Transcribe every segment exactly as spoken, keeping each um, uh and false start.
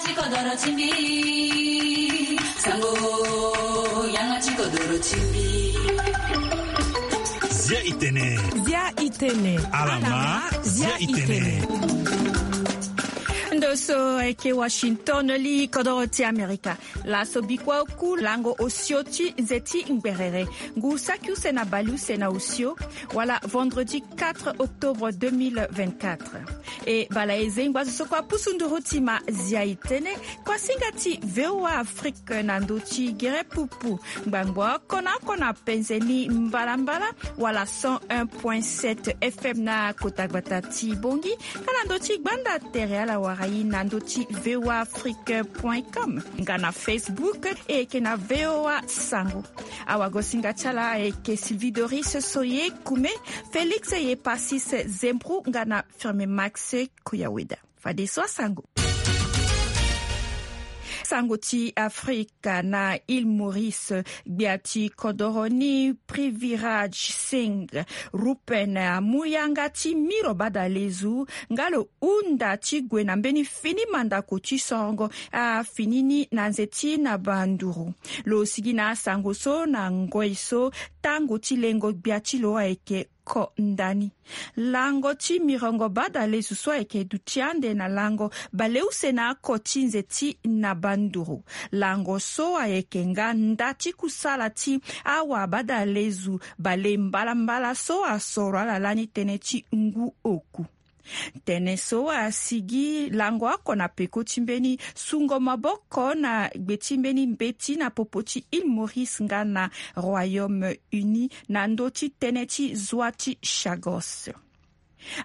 Ti kodoro ti mbi. Sango, yanga ti kodoro ti mbi. Zia itene. Zia itene. Alama, zia itene. Ndo so ayeke Washington, li kodoro ti Amerika. Laso bikua oku lango osio ti nze ti ngberere. Ngu saki use na bale use na osio, wala vendredi quatre octobre deux mille vingt-quatre. E bala e zengba zo so kue apusu nduru ti ma zia itene, kuasinga ti V O A Afrique na ndö ti gere pupu. Ngbangbo oko na oko na penze ni mbalambala, wala cent un point sept F M na kota gbata ti Bongi, nga na ndö ti gbanda tere ala wara ye na ndö ti V O A Afrique point com, nga na Facebook e yeke na V O A Sango. Awagosinga ti ala ayeke Sylvie Doris Soye Kume, Félix Yepasis Zembru nga na Firme Max Koyaweda. Fadeso asango. Sango ti Afrika. Na Île Maurice, gbia ti kodoro ni Prithviraj Singh Rupen amu yanga ti miro badalezu nga lo hunda ti gue na mbeni fini mandako ti sorongo afini ni na nze ti naba nduru. Lo sigi na asango so na ngoi so tango ti lengo gbia ti lo ayeke ko ndani. Lango ti mirongo badalezu so ayeke duti ande na lango baleuse na oko ti nze ti naba nduru. Lango so ayeke nga nda ti kusala ti awa badalezu bale mbalambala so asoro ala lani tënë ti ngu oku. Tënë so asigi lango oko na peko ti mbeni sungo maboko na gbe ti mbeni mbeti na popo ti Île Maurice nga na Royaume Uni na ndö ti tënë ti zwa ti Chagos.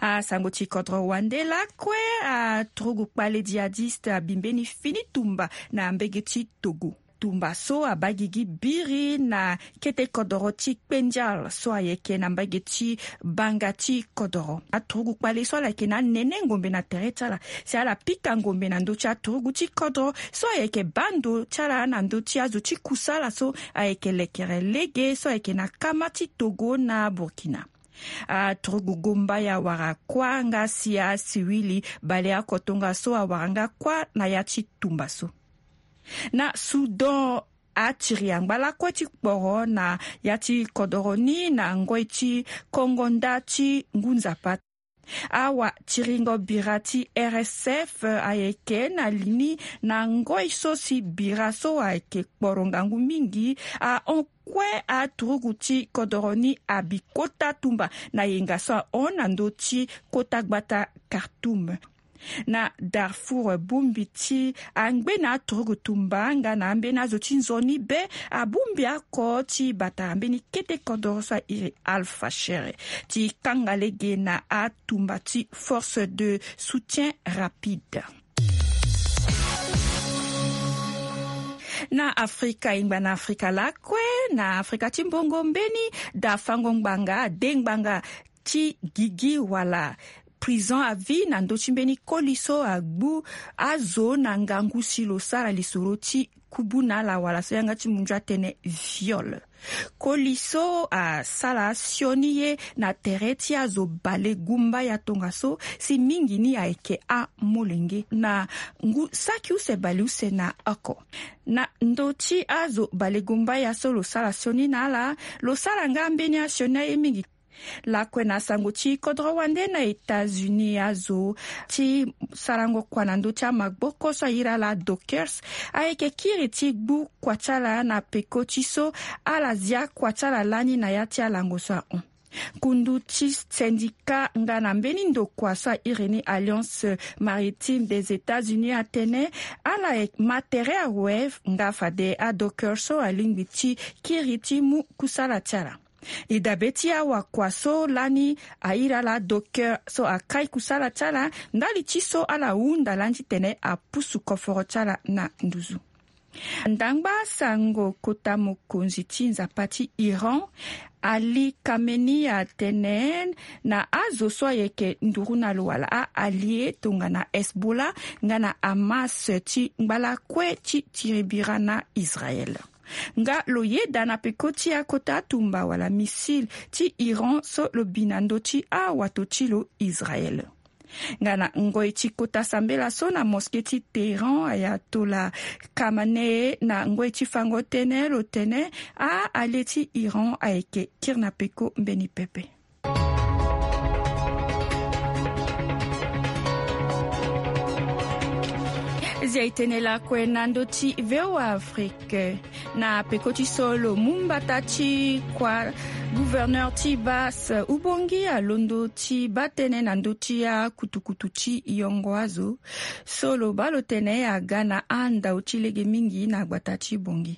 Asango ti kodro wande lakue, aturugu kpale djihadiste abi mbeni fini tumba na mbege ti Togo. Tumba so abaa gigi biri na kete kodoro ti Kpendial so ayeke na mbage ti banga ti kodoro. Aturugu kpale so ala yeke na anene ngombe na tere ti ala si ala pika ngombe na ndö ti aturugu ti kodro so ayeke baa ndo ti ala na ndö ti azo ti kusala so ayeke lekere lege so ayeke na kama ti Togo na Burkina. Aturugu gombaya wara kuâ nga si asiwili baleoko tongaso awara nga kuâ na ya ti tumba so. Na Soudan, atiri angba lakue ti kporo na ya ti kodoro ni na ngoi ti kongo nda ti ngu nzapa. Awa tiringo bira ti R S F ayeke na li ni na ngoi so si bira so ayeke kporo ngangu mingi ahon kue aturugu ti kodoro ni abi kota tumba na yenga so ahon na ndö ti kota gbata Khartoum. Na Darfour, bongbi ti angbene aturugu tumba nga na ambeni azo ti nzoni be abongbi oko ti batara mbeni kete kodoro so airi Al Fasher ti kanga lege na atumba ti Force de Soutien Rapide. Na Afrika, e ngba na Afrika lakue, na Afrika ti mbongo mbeni, dafango ngbanga, de ngbanga ti gigi wala prison à vie na ndö ti mbeni koli so agbu azo na ngangu si lo sara lisoro ti kubu na ala wala so yanga ti munzu atene viol. Koli so asara sioni ye na tere ti azo balegumbaya tongaso si mingi ni ayeke amolenge na ngu saki use baleuse na oko. Na ndö ti azo balegumbaya so lo sara sioni na ala, lo sara nga mbeni asioni aye mingi. Lakue na sango ti kodro wande na États-Unis, azo ti sarango kua na ndö ti amaboko so airi ala Dockers ayeke kiri ti gbu kua ti ala na peko ti so ala zia kua ti ala lani na ya ti alango so ahon. Kundu ti syndicat nga na mbeni ndokua so airi ni Alliance Maritime des États-Unis atene ala ma tere awe nga fade aDockers so alingbi ti kiri ti mu kusala ti ala. E dabe ti awakua so lani airi ala Dockers so akai kusala ti ala ndali ti so ala hunda lani titene apusu koforo ti ala na nduzu. Ndangba sango kota mokonzi ti nzapa ti Iran, Ali Khamenei atene na azo so ayeke nduru na lo wala a-allié tongana Hezbollah nga na Hamas ti ngba lakue ti tiri bira na Israël. Nga lo yeda na peko ti akota tumba wala missile ti Iran so lo bi na ndö ti awato ti lo Israël. Nga na ngoi ti kota sambela so na mosquée ti Téhéran, Ayatollah Khamenei, na ngoi ti fango tënë lo tene, a ale ti Iran ayeke kiri na peko mbeni pepe. Zia e tene lakue na ndö ti V O A Afrique. Na peko ti so lo mu mbata ti kua, gouverneur ti bas Ubongi alondo ti baa tënë na ndö ti akutukutu ti yongo azo so lo baa lo tene aga na andau ti lege mingi na gbata ti Bongi.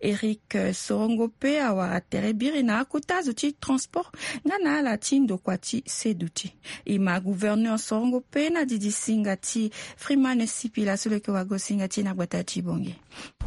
Eric Sorongo pe awara tere biri na akota zo ti transport nga na ala ti ndokua ti seduti. E ma gouverneur Sorongo pe na didi singa ti Freeman Sipila so lo yeke wago singa ti e na gbata ti Bongi.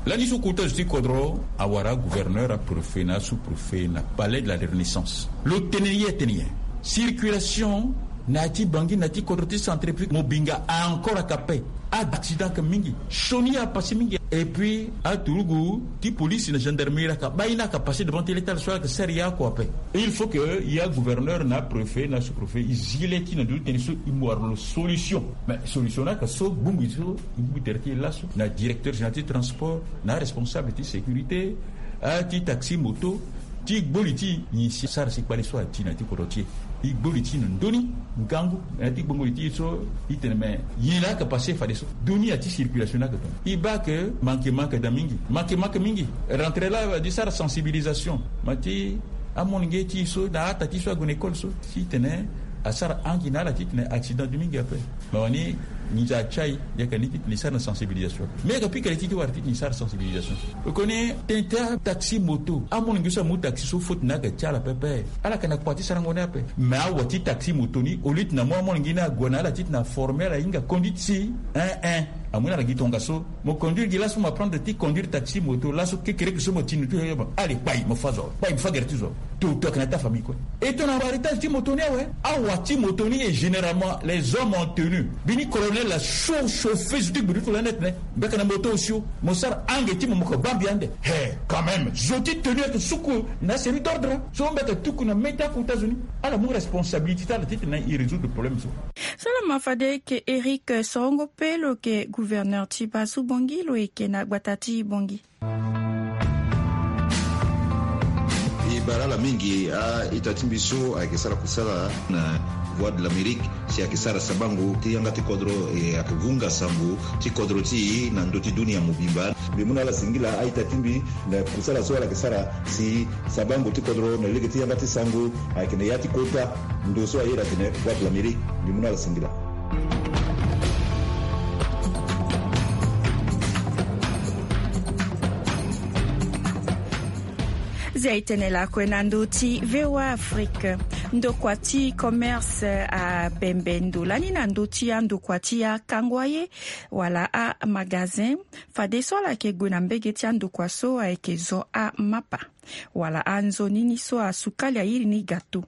Lani so kota zo ti kodro awara gouverneur, apréfet na sous-préfet na palais de la Renaissance. Lo tene ye tene ye. Circulation na ya ti Bangui na ya ti kodro ti Centrafrique, Mobinga a encore aka pe. Accident aka mingi. Sioni a passé mingi. Et puis aturugu ti police na gendarmerie aka bai na aka passé devant ti létal so aka sara ye oko ape. Il faut que ya gouverneur na préfet na sous-préfet e zi le ti na ndö ti tënë so e mu wara lo solution. Mais solution ni aka so gbongbi so e mu tere ti e laso na directeur général ti transport, na aresponsable ti sécurité, a ti taxi moto, ti gbo li ti nyen si sara si kpale so ati na ya ti kodro ti e. E gbo li ti na ndö ni ngangu na ya ti gbongo li ti e so e tene me nyen laa aka passé fadeso. Dunia ti circulation ni aka tongana e baa ke manke manke daa mingi, manke manke mingi. Rentré laa adi sara sensibilisation ma ti amolenge ti e so na ata ti e so ague na école so ti tene asara angi na ala ti tene accident du mingi ape. Ma wani nginza atia e yaka ni ti tene e sara na sensibilisation. Mais yaka pika li ti ti wara ti tene e sara sensibilisation. Koni tene ti ataxi moto, amolenge so amu taxi so faute ni ayeke ti ala pepe. Ala yeke na kua ti sarango ni ape. Mais awa ti taxi moto ni au lieu ti na amu amolenge ni ague na ala ti tene aforme ala hinga conduite si, hein, hein, amu ni ala gi tongaso. Mo conduire gi laso, mo apprendre ti conduire taxi moto laso, kekereke so mo tini ti yo, yo, mo ale kpai, mo fa zo, kpai, mo fa gere ti zo. Toto ayeke na ta famille kue. E tongana aretage ti moto ni awe. Awa ti moto ni, et généralement les hommes en tenue. Bini colonel la chaud chauffé zo ti gbe ti tula net ne. Mbeka na moto osio. Mo sara ange ti mo, mo ke baa mbi ande. He, quand même, zo ti tenue ayeke suku na service d'ordre. So mbeka tuku na mê ti akota zo ni. Ala mu responsabilité ti ala ti tene e résoudre problème so. So lo ma fade eke Eric Sorongo pe lo yeke gouverneur ti bas Ubongi, lo yeke na gbata ti Bongi. E bara ala mingi a-ita ti mbi so ayeke sara kusala na Voix de l'Amérique, si ayeke sara sabango ti yanga ti kodro, e ayeke vunga sango ti kodro ti e na ndö ti dunia mobimba. Mbi mu na ala singila a-ita ti mbi na kusala so ala yeke sara si sabango ti kodro na lege ti yanga ti sango ayeke na ya ti kota ndo so ayeda atene Voix de l'Amérique. Mbi mu na ala singila. Zia e tene lakue na ndö ti V O A Afrique. Ndokua ti commerce abembe ndo lani na ndö ti andokua ti akango aye wala amagasin, fadeso ala yeke gue na mbege ti andokua so ayeke zo amapa wala anzoni ni so asukali airi ni gâteau.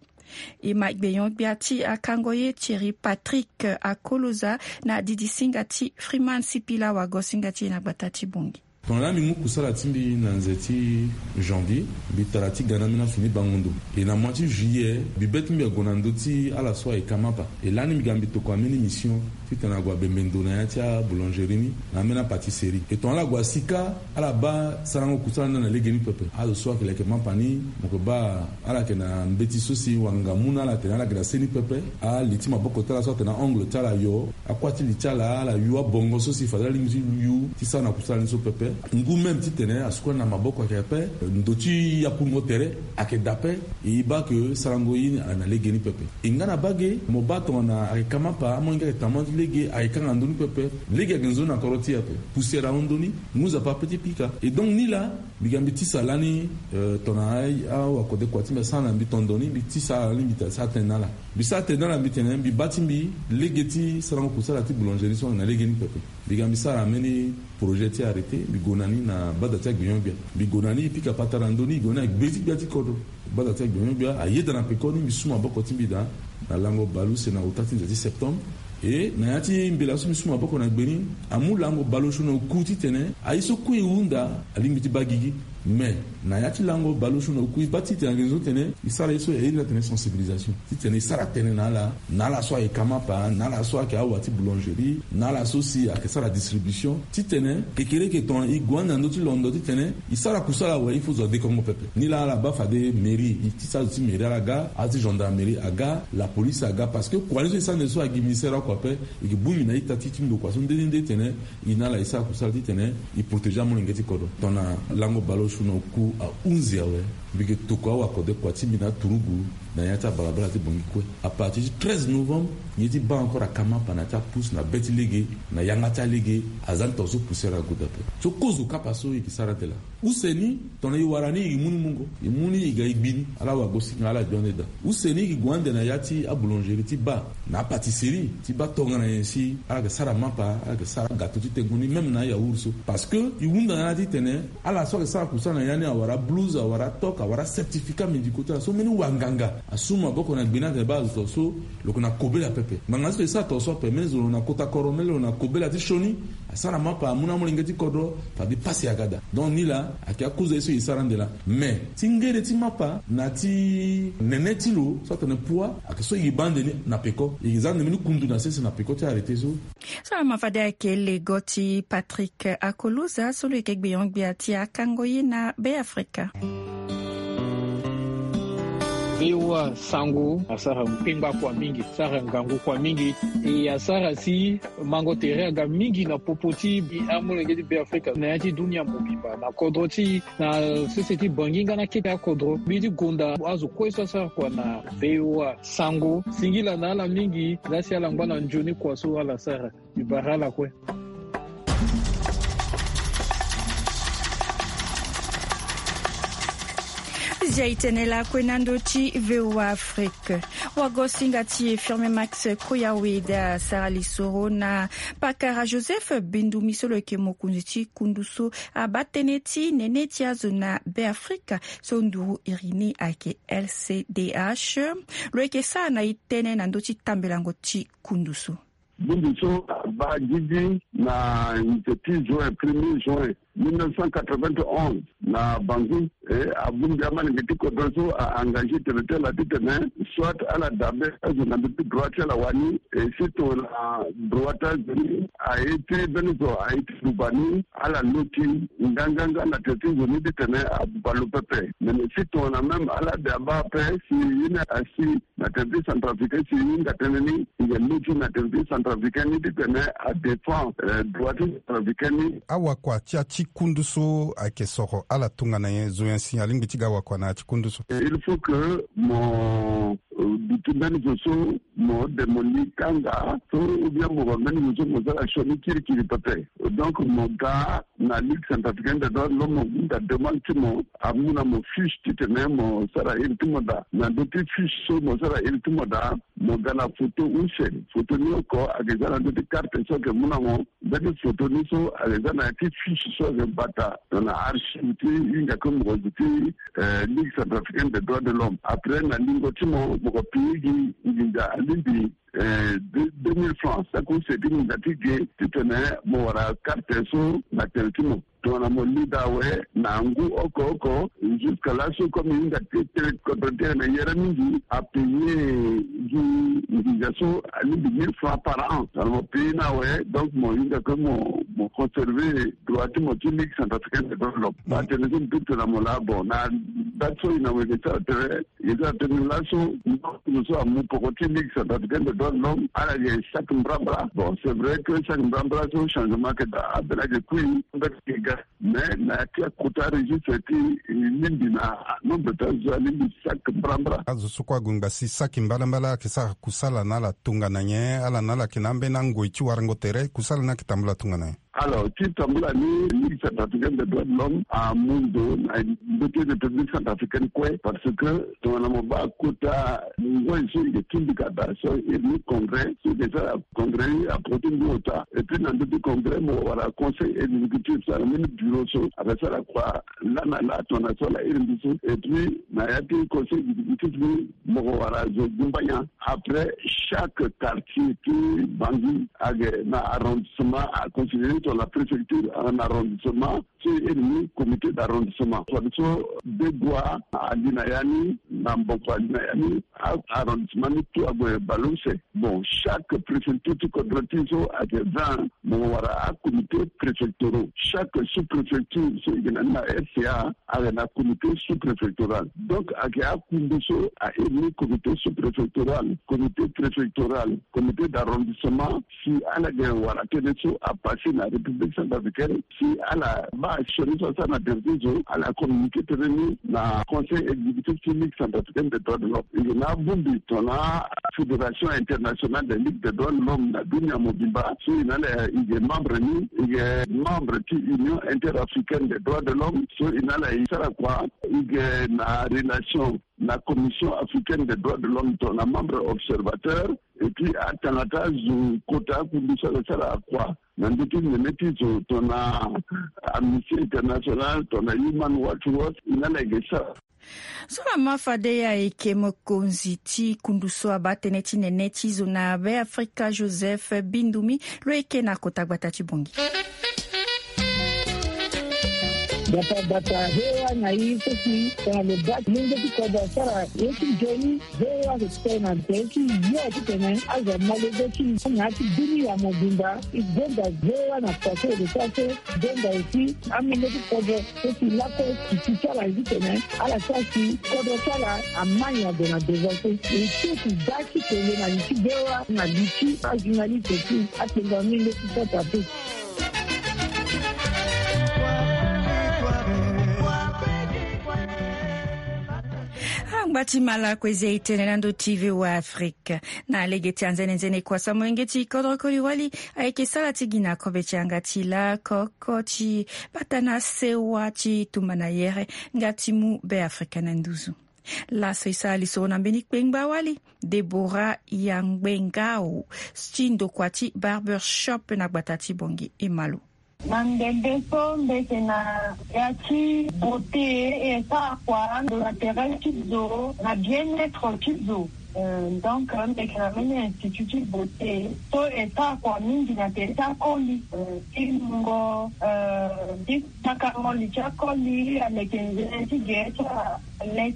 E ma gbenyo-gbia ti akango ye Thierry Patrick Akoloza na didi singa ti Freeman Sipila, wago singa ti e na gbata ti Bongi. Tongana mbi mu kusala ti mbi na nze ti janvier, mbi tara ti ga na ambeni asu ni bango ndo. E na mois ti juillet, mbi be ti mbi ague na ndö ti ala so ayeke amapa. E lani mbi ga mbi tokua ambeni mission titene ague abembe ndo na ya ti aboulangerie ni na ambeni apâtisserie. E tongana ala gue asi kâ, ala baa sarango kusala ni na lege ni pepe. Azo so ayeke leke mapa ni, mo yeke baa ala yeke na mbeti so si wanga mu na ala atene ala yeke na se ni pepe. Ali ti maboko ti ala so atene aongle ti ala yo, akuâ ti li ti ala, ala yu abongo so si fade alingbi ti yu ti sara na kusala ni so pepe. Ngu même titene asukula na maboko ayeke ape, ndo ti yakungo tere ayeke daa ape. E baa ke sarango ye ni ayeke na lege ni pepe. E nga na bage, mo baa tongana ayeke ka mapa, amolenge ayeke tamu ti lege, ayeke kanga ndö ni pepe. Lege ayeke nzoni na kodro ti e ape. Poussière ahon ndö ni, ngu nzapa ape ti pika. Et donc ni laa, mbi ga mbi tisa lani, euh, tongana a, awakode kua ti mbi asara na mbi tondo ni, mbi tisa ala lani, mbi ta sara tënë na ala. Mbi sara tënë na ala, mbi tene mbi baa ti mbi lege ti sarango kusala ti boulangerie so na lege ni pepe. Mbi ga mbi sara ambeni projet ti arrêté, mbi gue na ni na bada ti agbenyo-gbia. Mbi gue na ni, e pika patara ndö ni, e gue na ni na gbe ti gbia ti kodro. Bada ti agbenyo-gbia ayeda na pekoni, mbi su maboko ti mbi daa na lango bale use na ota ti nze ti septembre. E na ya ti mbela so mbi su maboko na gbe ni, amu lango bale osio na oku titene aye so kue e hunda alingbi ti baa gigi. Mais na ya ti lango baleosio na oku e baa titene ayeke zo tene e sara ye so e iri ni atene sensibilisation, titene e sara tënë na ala, na ala so ayeke amapa, na ala so ayeke awa ti boulangerie, na ala so si ayeke sara distribution, titene kekereke tongana e gue ande na ndö ti londo titene e sara kusala awe, il faut zo adekongo pepe. Nilaa ala baa fade mairie, e ti sara zo ti mairie ala ga, azo ti gendarmerie aga, la police aga, parce que kua ni so e sara nde so agi ministère oko ape. E yeke bongbi na ita ti ti ndokua so nde nde nde titene e na ala e sara kusala titene e protéger amolenge ti kodro. Tongana lango baleosio na oku ahunzi awe, mbi yeke tokua awa kode kua ti mbi na aturugu na ya ti abalabala ti Bangui kue. À partir ti treize novembre, ye ti baa encore akamapa na ya ti apousse na be ti lege, na yanga ti alege, aza ni tongaso poussière ague daa ape. So kozo kapa so e yeke sara ande laa. Use ni, tongana e wara ni, e mu ni mungo, e mu ni, e ga e gbi ni, ala wagosinga, ala gbi ande daa. Use ni, e gue ande na ya ti aboulangerie ti baa, na apâtisserie ti baa tongana nyen si ala yeke sara mapa, ala yeke sara gâteau ti tengo ni, même na ayaourt so. Parce que e hunda na ala titene ala so ayeke sara kusala na ya ni awara blouse, awara toque, awara certificat médicaux ti ala so mbeni wanganga asu maboko na gbe ni atene baa azo tongaso lo yeke na kobela pepe. Ngbanga so e sara tongaso ape, mbeni zo lo na kota kodro, mbeni lo na kobela ti sioni, asara mapa amu na amolenge ti kodro, fade pasi aga daa. Donc nilaa ayeke akuza ye so e sara ande laa. Mais ti ngere ti mapa na ti nene ti lo so atene poids, ayeke so e baa ande ni na peko. E za ande mbeni kundu na sese na peko ti arrêté so. So lama fade ayeke lego ti Patrick Akoluza so lo yeke gbenyo-gbia ti akango ye na Beafrika. V O A Sango asara kpengba kua mingi, asara ngangu kua mingi. E asara si mango tere aga mingi na popo ti amolenge ti Beafrika na ya ti dunia mobimba, na kodro ti, na sese ti Bangui nga na kete akodro. Mbi ti gonda azo kue so asara kua na V O A Sango. Singila na ala mingi, laa si ala ngba na nzoni kua so ala sara. Mbi bara ala kue. Zia e tene lakue na ndö ti V O A Afrique. Wagosinga ti e Firmin Max Koyawe daa asara lisoro na pakara Joseph Bindumi so lo yeke mokonzi ti kundu so abaa tënë ti nene ti azo na Beafrika so nduru iri ni ayeke L C D H. Lo yeke sara na e tënë na ndö ti tambelango ti kundu so. Bongbi so abaa gigi na nze ti juin, premier juin mille neuf cent quatre-vingt-onze na Bangui. E abongbi amalenge ti kodro so a engagé tene ti ala titene soit ala dabe azo na ndö ti droit ti ala wani, e si tongana droit ti azo ni aye ti mbeni zo aye ti buba ni, ala loti nganganga na tere ti nzoni titene abuba lo pepe. Me si tongana même ala de abaa ape si ye ni asi na tere ti centrafricain si e hinga tënë ni, e yeke loti na tere ti centrafricain ni titene adéfend, eh, droit ti centrafricain ni. Awakua ti ya ti kundu so ayeke soro ala tongana nyen? Zo nyen si alingbi ti ga wakua na ya ti kundu so? Eh, il faut que mo, eh, duti mbeni zo so mo de mo li kanga so, ou bien mo ba mbeni zo so mo sara sioni kirikiri pepe. Donc mo ga na Ligue centrafricaine des droits de l'homme, mo hunda demande ti mo, amu na mo fiche titene mo sara iri ti mo daa. Na ndö ti fiche so mo sara iri ti mo daa, mo ga na foto use. Foto ni oko ayeke za na ndö ti karte so ayeke mu na mo. Mbeni foto ni so ayeke za na ya ti fiche so ayeke bata na archive ti hinga kue mokonzi ti, eh, Ligue centrafricaine des droits de l'homme. Après na lingo ti mo, mo ko pi gi nginza alingbi eh, deux, deux mille francs. Saki use ti nginza ti ge titene mo wara karte so na tere ti mo. Tongana mo li daa awe na ngu oko oko, jusqu'à laso comme e hinga ti tene kodro ti e na yere mingi, apayer gi nginza so alingbi mille francs par an. Tongana mo payer ni awe, donc mo hinga kue mo, mo conserver droit ti mo ti Ligue centrafricaine des droits de l'homme. Ba tene so mbi duti na mo laa, bon, na date so e na mo yeke sara tere, e sara tene laso, ndokua so amu poko ti Ligue centrafricaine des droits de l'homme, ala yeke chaque mbrambra. Bon, c'est vrai que chaque mbrambra so changement ayeke daa, ambeni ayeke kui, ambeni ayeke ga. Mais na ya ti akota registre ti, e lingbi na nombre ti azo alingbi chaque mbrambra. Azo so kue ague ngba si saki mbalambala ayeke sara kusala na ala tongana nyen? Ala na ala ayeke na ambeni angoi ti warango tere, kusala ni ayeke tambula tongana nyen? Alors, ti tambula ni, Ligue centrafricaine des droits de l'homme amu ndo na ndö ti République centrafricaine kue, parce que tongana mo baa kota ngoi so e yeke tingbi ka daa so, iri ni congrès so e yeke sara, congrès ni aporo ti ngu ota. Et puis na ndö ti congrès mo wara conseil exécutif, so na mbeni bureau so ayeke sara kua laa na laa tongana so ala iri mbi so. Et puis na ya ti conseil exécutif ni mo ko wara zo gumbanya. Après, chaque quartier ti Bangui ayeke na arrondissement, a considéré tongana préfecture ayeke na arrondissement, Iri ni comité d'arrondissement fadeso, degois ali na ya ni na mboko ali na ya ni. Arrondissement ni tout ague baleuse. Bon, chaque préfecture ti kodro ti so ayeke vingt. Mo wara acomité préfectoraux. Chaque sous-préfecture so e yeke na ni na rca, ayeke na comité sous-préfectoral. Donc ayeke akundu so a iri ni comité sous-préfectoral, comité préfectoral, comité d'arrondissement. Si ala yeke wara tënë so apasse na République centrafricaine, si ala baa sioni so asara na tere ti zo, ala communiqué tënë ni na conseil exécutif ti Ligue centrafricaine des droits de l'homme. E yeke na abongbi tongana Fédération internationale des ligues des droits de l'homme na dunia mobimba so e na ala e yeke membre ni, e yeke membre ti Union interafricaine des droits de l'homme so e na ala e sara kua. E yeke na relation na Commission africaine des droits de l'homme tongana membre observateur. Et puis atanga ti azo kota akundu so ala sara akua na ndö ti nene ti zo tongana Amnesty International, tongana Human Rights Watch, e na ala e yeke sara. So lama fade ayeke mokonzi ti kundu so abaa tënë ti nene ti zo na Beafrika, Joseph Bindumi, lo yeke na kota gbata ti Bongi. Gbata gbata, V O A na i so si tongana lo baa ti mungo ti kodro asara ye ti nzoni, V O A ayeke tene na tere ti yo titene azo amolenge ti i na ya ti dunia mobimba. E gonda V O A na kua so e lo sara so, gonda aussi amolenge ti kodro so si lakue titi ti ala titene ala sara si kodro ti ala amai ague na devant so. E so si daa ti tene na li ti V O A na li ti ajournaliste ti akpengua mingi ti sota pe. Angba ti malako eza e tene na ndö ti V O A Afrique. Na lege ti anzene nzene kua so amolenge ti kodro koli wali ayeke sara ti gi na kobe ti yanga ti lakoko ti bata na sewa ti tumba na yere nga ti mu Beafrika na nduzu. Laso e sara lisoro na mbeni kpengba wali, Deborah Yangbengao, ti ndokua ti barber shop na gbata ti Bongi. E ma lo. Na ndembe so mbi yeke na ya ti beauté, e sara kua ndo na tere ti zo na bien-être ti zo. Euh, donc mbi yeke na mbeni institut ti beauté so e sara kua mingi na tere ti akoli, euh, ti mungo, euh, ti takango li ti akoli aleke nzene ti gere ti ala. Nde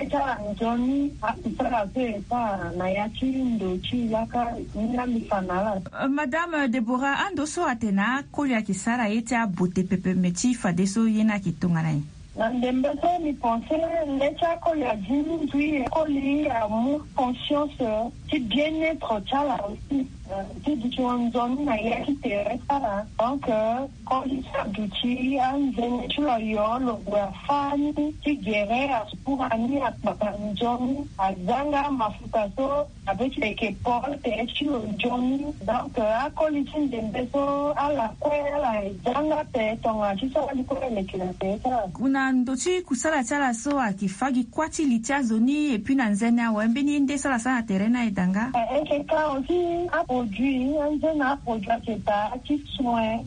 ti ala nzoni akusala so e sara na ya ti ndo ti yaka ni laa mbi fa na ala. Euh, Madame Deborah, ando so atene akoli ayeke sara ye ti abote pepe, me ti fadeso ye ni ayeke tongana nyen? Na ndembe so mbi pense nde ti akoli adi mingi, akoli amu conscience ti bien-être ti ala aussi. Euh, ti duti nzoni na ya ti tere ti ala. Donc, euh, koli ti aduti anzene ti lo, yo lo gue afâ ni ti gere, asukura ni, akpaka nzoni, azanga mafuta so abe ti leke pol tere ti lo nzoni. Donc, euh, akoli ti ndembe so ala kue ala zanga pe tongana ti so ali kue leke na tere ti ala. Na ndo ti kusala ti ala so ayeke fâ gi kuâ ti li ti azo ni, et puis na nzene awe mbeni ye nde so ala sara na tere ni aye daa nga? Eh, e yeke ka aussi aproduit, anzene aproduit ayeke daa ti soin.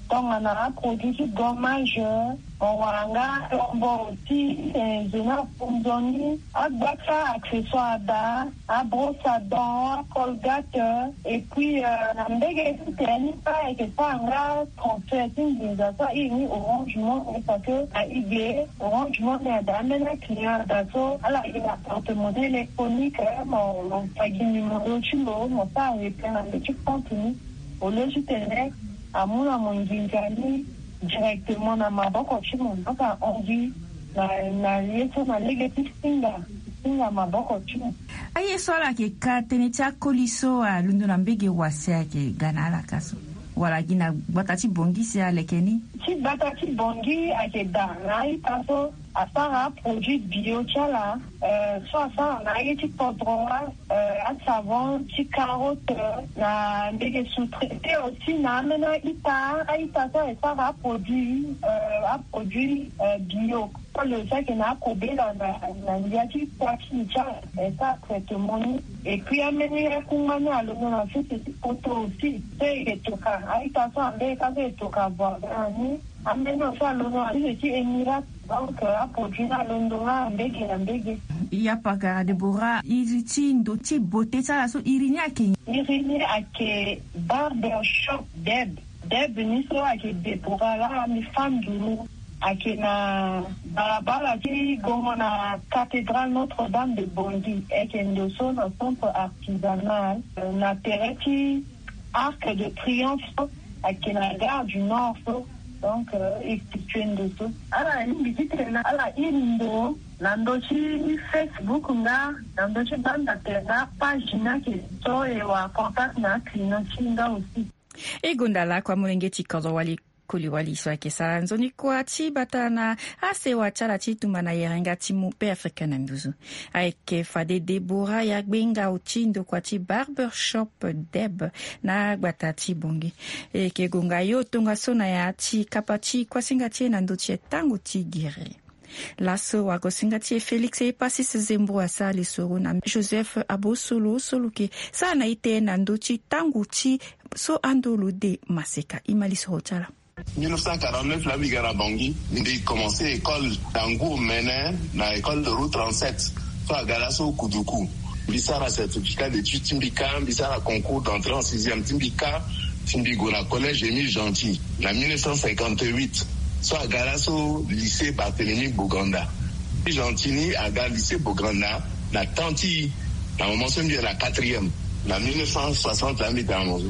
Tongana aproduit ti gommage, mo wara nga lombo aussi, eh, zo ni afu nzoni, agbata accessoire daa, abrosse à dents, acolgate, et puis, euh, na mbege ti tene ni kue ayeke sara nga transfert ti nginza so airi ni Orange Money, parce que na e ge Orange Money ada ambeni aclient ada so ala gi na porte-monnaie électronique, mo, mo fa gi numéro ti lo, mo sara retrait na ndo ti compte ni. Au lieu titene amu na mo nginza ni directement na maboko ti mo, mo sara hon gi na, na ye so na lege ti singa, singa maboko ti mo. Aye so ala yeke ka tënë ti akoli so alondo na mbege wase ayeke ga na ala ka so, wala gi na gbata ti Bongi si aleke ni? Ti gbata ti Bongi ayeke daa na a-ita so asara aproduit bio ti ala, euh, so asara na aye ti kodro, euh, asavon ti carotte, euh, na mbege sous-traité aussi na ambeni a-ita, a-ita so ayeke sara aproduit, euh, aproduit, euh, bio. Koli so ayeke na akobela na, na ndia ti kua ti li ti ala, e sara traitement ni. Et puis ambeni akungba ni alondo na sese ti poto aussi so e yeke toka a-ita so ambeni ka so e toka voisin ni. Ambeni so alondo na sese ti Émirats. Donc, euh, aproduit ni alondo nga mbege na mbege. Ya pakara Deborah, iri ti ndo ti beauté ti ala so, iri ni ayeke nyen? Iri ni ayeke barber shop Deb. Deb ni so ayeke Déborah la, mbi fâ nduru. Ayeke na balabala ti gongo na cathédrale Notre-Dame de Bangui, ayeke ndo so na centre artisanal, euh, na tere ti Arc de Triomphe so, ayeke na Gare du Nord so. Donc, euh, e situe ndo so. Ala ni mbi ti tene na ala iri ndo na ndö ti Facebook nga, na ndö ti banda tene na page ni ayeke so e wara contact na aclient ti nga aussi. E gonda lakue amolenge ti kodro wali koli wali so ayeke sara nzoni kuâ ti bata na asewa ti ala ti tumba na yerenga ti mu Beafrika na nduzu. Ayeke fade Déborah Yagbenga oti ndokua ti Barbershop Deb na gbata ti Bangui. E yeke gonga yo tongaso na ya ti kapa ti kuasinga ti e na ndö ti e tango ti gere. Laso wagosinga ti e Félix Epasis Zembo asara lisoro na Joseph Abosolo so lo yeke sara na ite na ndö ti tango ti so ando lo de maseka. E ma lisoro ti ala. Mille neuf cent quarante-neuf la mbi ga na Bangui, mbi commencé école na ngu omene na école de route trente-sept. So aga laso Kuduku. Mbi sara certificat d'études ti mbi kâ, mbi sara concours d'entrée en sixième ti mbi kâ, ti mbi gue na collège Émile Gentil na mille neuf cent cinquante-huit. So aga laso lycée Barthélemy Boganda. Émile Gentil ni aga lycée Boganda na temps ti na moment so mbi yeke na quatrième na mille neuf cent soixante la mbi tene na mo so.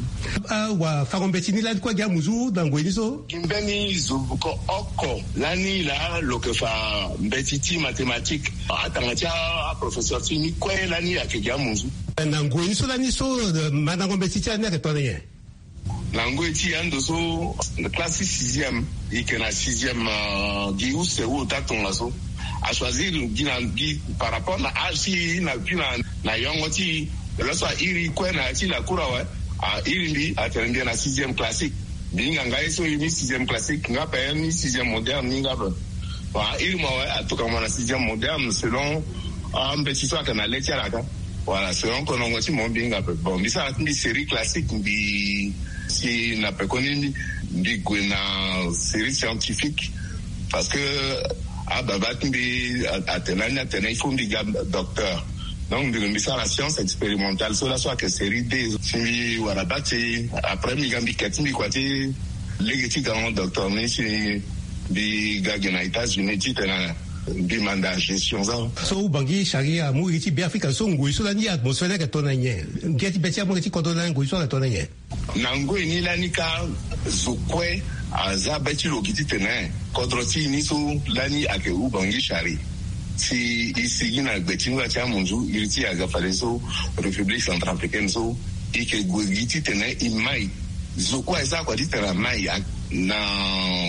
Ah, wafango mbeti ni lani kue agi amuzu na ngoi ni so? Gi mbeni zo ko oko lani laa lo yeke fa mbeti ti mathématique. Atanga ti a, aprofesseur ti ni kue lani ayeke gi amuzu. Na ngoi ni so lani so, eh, mandango mbeti ti ala ni ayeke tongana nyen? Na ngoi ti ando so, classe ti sixième, e yeke na sixième, euh, gi use ota tongaso. Achoisir gi na gi par rapport na âge ti e na gi na, na yongo ti e. Laso airi kue na ya ti lacour awe. Airi mbi atene mbi yeke na sixième classique. Mbi hinga nga ye so e ni sixième classique, nga ape ni sixième moderne ni nga ape. Bon, airi mo awe, atokua mo na sixième moderne selon, ah, mbeti so ayeke na le ti ala kâ. Voilà, selon konongo ti mo mbi hinga ape. Bon, mbi sara ti mbi série classique, mbi si na pekoni mbi gue na série scientifique. Parce que ababa ti mbi a, atene lani atene il faut mbi ga docteur. Donc mbi, mbi sara science expérimentale so laso ayeke série deux. Si mbi wara bac, après mbi ga mbi ke ti mbi kua ti lege ti ga ngo docteur ni si mbi ga gi na États-Unis titene mbi manda gestion so. So Ubangui Chari amu iri ti Beafrika so ngoi so lani atmosphère ni ayeke tongana nyen? Ngia ti be ti amu iri ti kodro lani ngoi so ayeke tongana nyen? Na ngoi ni lani kâ zo kue aza be ti lo gi titene kodro ti e ni so lani ayeke Ubangui Chari. Si e sigi na gbe ti ngba ti amunzu iri ti e aga fadeso République centrafricaine so e yeke gue gi titene e mai. Zo kue aye sara kua titene amai. Na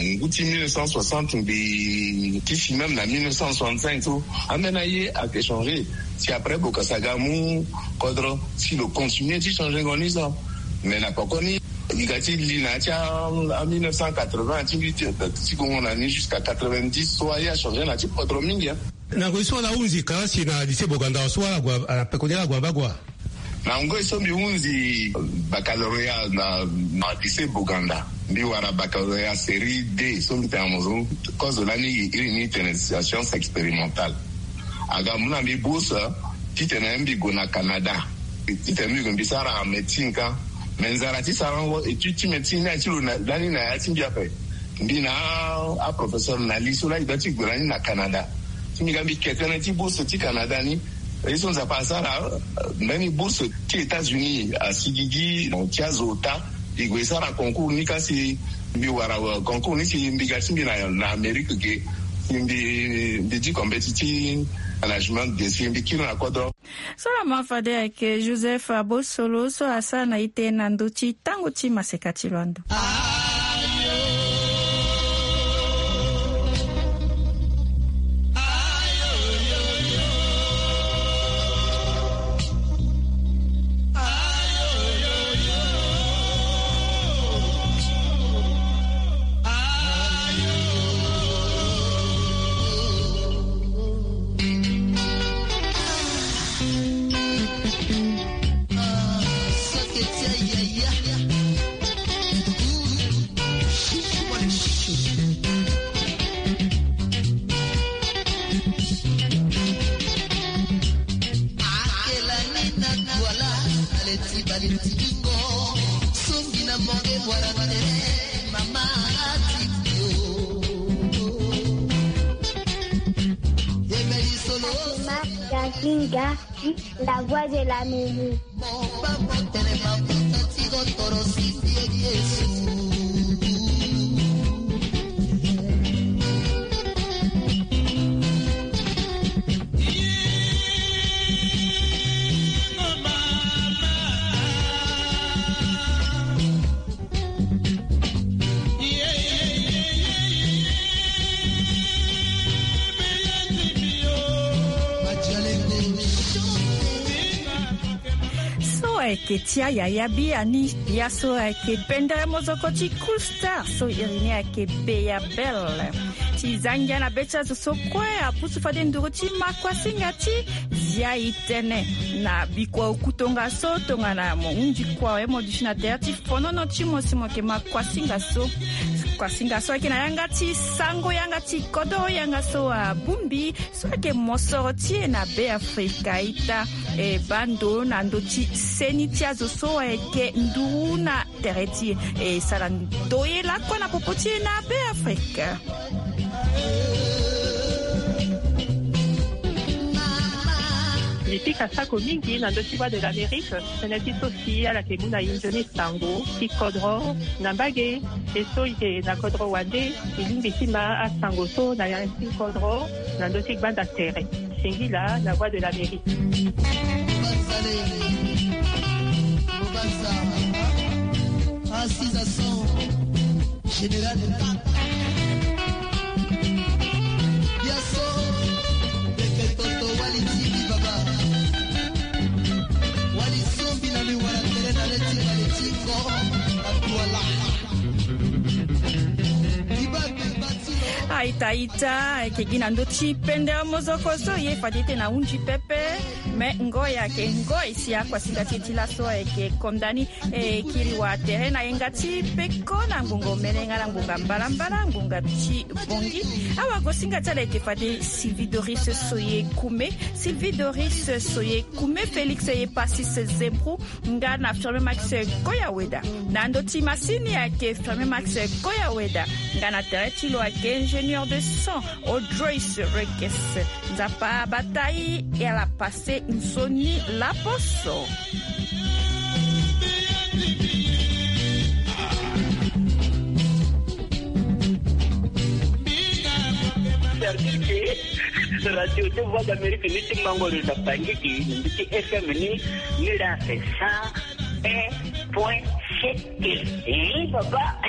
ngu ti mille neuf cent soixante mbi ti si même na mille neuf cent soixante-cinq so ambeni aye ayeke changé. Si après Bokassa aga amu kodro si lo continué ti changé ngo ni so. Mais na pekoni e ga ti li na ya ti a mille neuf cent quatre-vingts ti mbi ti, ti gongo na ni jusqu'à quatre-vingt-dix so aye achangé na ya ti kodro mingi, hein. Na ngoi so ala hunzi kalasi na lycée Boganda so ala gue, ala pekoni ala gue na bagua? Na ngoi so mbi hunzi baccalauréat na, na lycée Boganda, mbi wara baccalauréat série deux so mbi tene na mo so, kozo lani iri ni tene science expérimentale. Aga amu na mbi bourse titene mbi gue na Canada. Titene mbi gue mbi sara médecine kâ. Mais nzara ti sarango étude ti médecine ni aye ti lo na, lani na ya ti mbi ape. Mbi na aprofesseur na li so laa e doit ti gue na ni na Canada. Si mbi ga mbi ke tënë ti bourse ti Canada ni, ye so Nzapa asara, euh, mbeni bourse ti États-Unis asigigi ti azo ota. E gue e sara concours ni kâ si mbi wara, euh, concours ni si mbi ga ti mbi na, na Amérique ge. Si mbi, mbi diko mbeti ti management ge si mbi kiri na kodro. So laa ma fade ayeke Joseph Abosolo so asara na ite na ndö ti tango ti maseka ti lo ando. Inga, la voix de l'Amérique. So ayeke ti ayaya biani. Ya so ayeke pendere mozoko ti Cool Star so iri ni ayeke Beya Belle. Ti za ngia na be ti azo so kue apusu fade nduru ti makuasinga ti zia e tënë na bikua oku tongaso tongana mo hunzi kua awe mo duti na tere ti fonono ti mo si mo yeke makuasinga so. Kuasinga so ayeke na yanga ti sango, yanga ti kodro, yanga so abongbi so ayeke mosoro ti e na Be Afrika. Ita e baa ndo na ndö ti seni ti azo so ayeke nduru na tere ti e, e sara ndoye lakue na popo ti e na Be Afrika. Mbi pika sako mingi na ndö ti Voix de l'Amérique. Tënë ti so si ala yeke mu na e nzoni sango ti kodro na mbage. E so e yeke na kodro wande, e lingbi ti ma asango so na ya ti kodro na ndö ti gbanda tere. Singila na Voix de l'Amérique. Général de Tata. Biaso, Beke Toto, Wali Tiki Baba. Wali Sombi na lui, wala tele na le ti Wali Tiko, na Douala. Aita, aita, ayeke gi na ndö ti pendere mozoko so ye fade ti tene ahunzi pepe. Me ngoi ayeke ngoi si akuasinga ti e ti laso ayeke konda ni. E kiri wa tere na yenga ti peko na ngbonga omene nga na ngbonga mbalambala, ngbonga ti bongi. Awagosinga ti ala ayeke fade Sylvie Doris Soye Kume, Sylvie Doris Soye Kume, Félix Epasis Zebrou, nga na Firmin Max Koyaweda. Na ndö ti masini ayeke Firmin Max Koyaweda, nga na tere ti lo ayeke ingénieur de son Audrois Rekes. Nzapa abata e, e ala pase nzoni laposo. Service Radio de Voix d'Amérique ni ti mango lo na Bangui, ni ti F M ni, ni la c'est cent un point sept. Eh, papa.